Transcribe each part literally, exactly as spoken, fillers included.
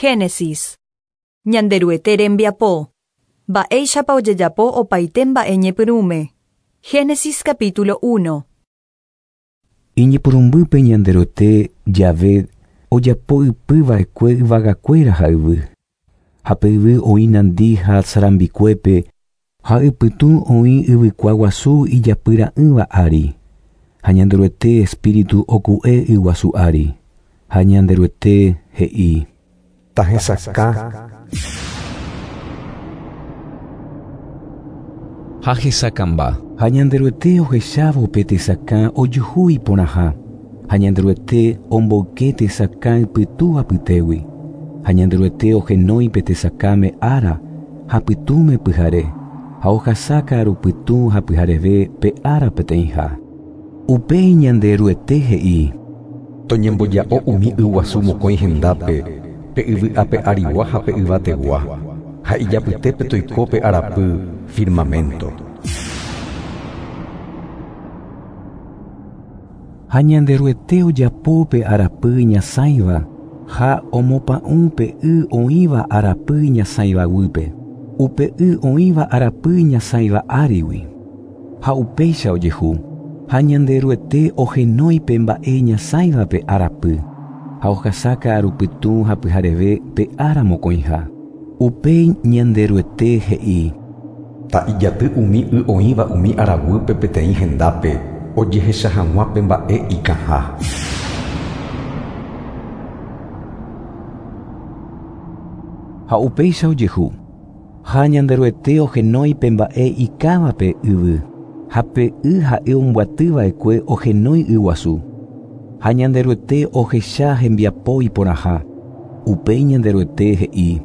Génesis. Ñanderuete rembiapo. Mba'éichapa ojejapo opaite mba'e ñepyrũme. Génesis capítulo uno. Iñepyrũmbýpe Ñanderuete Jave ojapo ypyva'ekue yvagakuéra ha yvy. Ha pe yvy oĩ nandi ha sarambikuépe ha ypytũ oĩ yvykua guasu ijapyra'ỹva ári. Ha Ñanderuete espíritu oku'e yguasu ári. Ha Ñanderuete he'i: Tahesakã. Ha hesakãmba. Ha Ñanderuete ohechávo pe tesakã ojuhu iporãha. Ha Ñanderuete omboyke tesakã ypytũ apytégui. Ha Ñanderuete ohenói pe tesakãme ára ha pytũme pyhare. Ha ohasaka arupytũ ha pyhareve pe ára peteĩha. Upéi Ñanderuete he'i: Toñemboja'o umi yguasu mokõi hendápe, pe yvy ape arigua ha pe yvategua, ha ijapytépe toiko pe arapy firmamento. Ha Ñanderuete ojapo pe arapy ñasãiva ha omopa'ũ pe y oĩva arapy ñasãiva guýpe, upe y oĩva arapy ñasãiva árigui. Ha upéicha ojehu. Ha Ñanderuete ohenói pe mba'e ñasãivape arapy, ha ohasaka arupytũ ha pyhareve pe ára mokõiha. Upéi Ñanderuete he'i: Ta'ijaty umi y oĩva umi araguýpe peteĩ hendápe, ojehecha hag̃ua pe mba'e ikãha. Ha upéicha ojehu. Ha Ñanderuete ohenói pe mba'e ikãvape yvy, ha pe y ha'e ombyatyva'ekue ohenói yguasu. Ha Ñanderuete ohecha hembiapo iporãha. Upéi Ñanderuete he'i: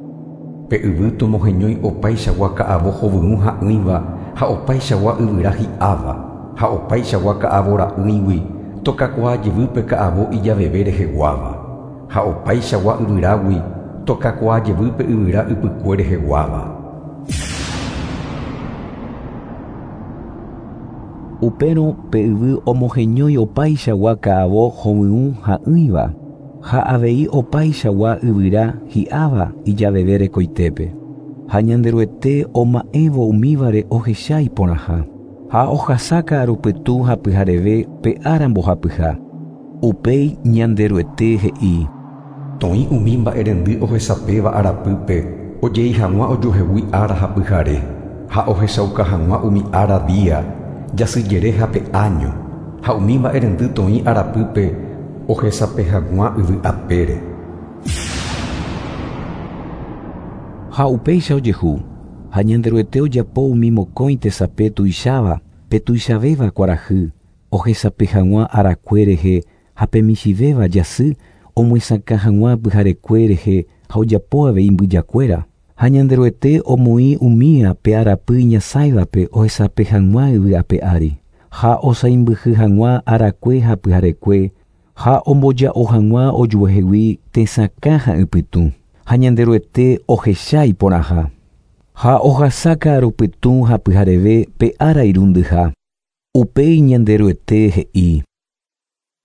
Pe yvy tomoheñói opaichagua ka'avo hovyũ ha'ỹiva ha opaichagua yvyra hi'áva, ha opaichagua ka'avo ra'ỹigui tokakuaa jevýpe ka'avo ijaveve reheguáva, ha opaichagua yvyrágui tokakuaa jevýpe yvyra ypykue reheguáva. Upérõ pe yvy omoheñói opaichagua ka'avo hovyũ ha'ỹiva, ha avei opaichagua yvyra hi'áva ijaveve rekoitépe. Ha Ñanderuete oma'ẽvo umívare ohecha iporãha. Ha ohasaka arupytũ ha pyhareve pe ára mbohapyha. Upéi Ñanderuete he'i: Toĩ umi mba'erendy ohesapéva arapýpe ojei hag̃ua ojuehegui ára ha pyhare, ha ohechauka hag̃ua umi ára día, jasyjere ha pe año, ha umi mba'erendy toĩ arapýpe ohesape hag̃ua yvy apére. Ha upéicha ojehu. Ha Ñanderuete ojapo umi mokõi tesape tuicháva, pe tuichavéva kuarahy, ohesape hag̃ua arakue rehe ha pe michĩvéva jasy omyesakã hag̃ua pyharekue rehe ha ojapo avei mbyjakuéra. Ha Ñanderuete omoĩ umía pe arapy ñasãivape ohesape hag̃ua yvy ape ári, ha osaimbyhy hag̃ua arakue ha pyharekue, ha omboja'o hag̃ua ojuehegui tesakã ha ypytũ. Ha Ñanderuete ohecha iporãha. Ha ohasaka arupytũ ha pyhareve pe ára irundyha. Upéi Ñanderuete he'i: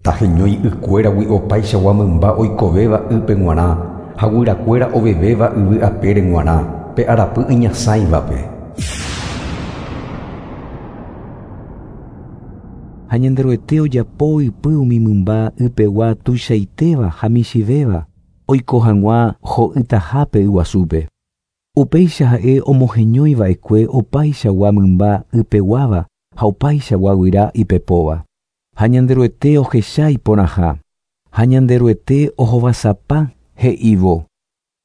Taheñói ykuéragui opaichagua mymba oikovéva ýpe g̃uarã, ha guyrakuéra ovevéva yvy apére g̃uarã, pe arapy iñasãivape. Ha Ñanderuete ojapo ypy umi mymba ypegua tuichaitéva ha michĩvéva, oiko hag̃ua ho'ytahápe yguasúpe. Upéicha ha'e omoheñoiva'ekue opaichagua mymba ypeguáva ha opaichagua guyra ipepóva. Ha Ñanderuete ohecha iporãha. Ha Ñanderuete ohovasapa he'ívo: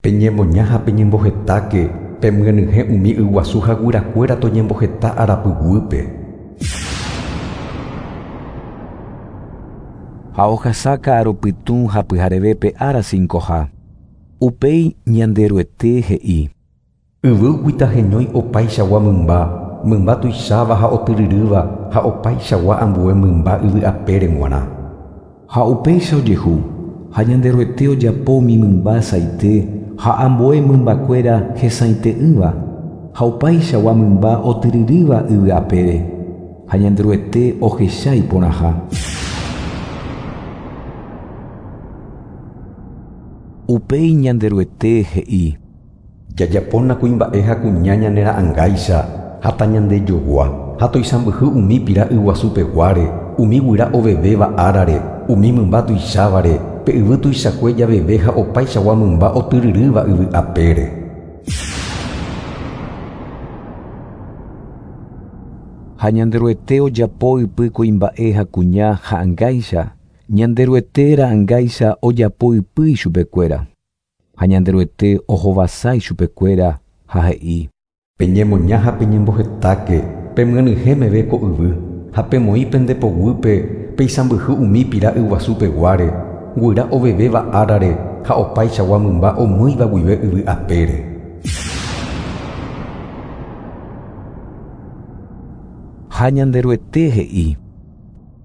Peñemoña ha peñembohetáke, pemyenyhẽ umi yguasu ha guyrakuéra toñemboheta arapyguýpe. Ha ohasaka arupytũ ha pyhareve pe ára cincoha. Upéi Ñanderuete he'i: Yvýgui taheñói opaichagua mymba, mymba tuicháva ha otyryrýva ha opaichagua ambue mymba yvy apére g̃uarã. Ha upéicha ojehu. Ha Ñanderuete ojapo umi mymba saite ha ambue mymbakuéra hesaite'ỹva, ha opaichagua mymba otyryrýva yvy apére. Ha Ñanderuete ohecha iporãha. Upéi Ñanderuete he'i: Jajapóna kuimba'e ha kuña ñane ra'ãngáicha ha tañandejogua ha toisãmbyhy umi pira yguasupeguáre, umi guyra ovevéva árare, umi mymba tuichávare, pe yvy tuichakue javeve ha opaichagua mymba otyryrýva yvy apére. Ha Ñanderuete ojapo ypy kuimba'e ha kuña ha'ãngáicha, Ñanderuete ra'ãngáicha ojapo ypy ichupekuéra. Ha Ñanderuete ohovasa ichupekuéra ha he'i: Peñemoña ha peñembohetáke, pemyenyhẽ ko yvy, ha pemoĩ pende poguýpe peisãmbyhy umi pira yguasupeguáre, guyra ovevéva árare ha opaichagua mymba omýiva guive yvy apére. Ha Ñanderuete he'i: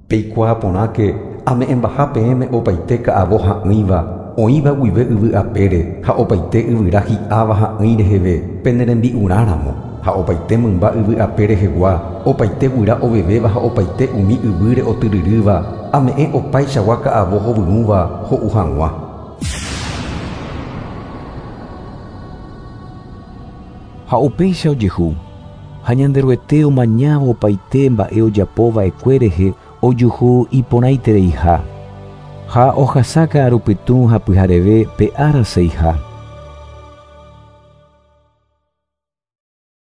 Peikuaa porãke ame'ẽmbaha peẽme opaite ka'avo ha'ỹiva, oĩva guive yvy apére ha opaite yvyra hi'áva ha'ỹi reheve pene rembi'urãramo, ha opaite mymba yvy ape rehegua, opaite guyra ovevéva ha opaite umi yvýre otyryrýva, ame'ẽ opaichagua ka'avo hovyũva ho'u hag̃ua. Ha upéicha ojehu, ha Ñanderuete omañávo opaite mba'e ojapova'ekue rehe ojuhu iporãitereiha. Ha ohasa ka'arupytũ ha pyhareve pe ára seiha.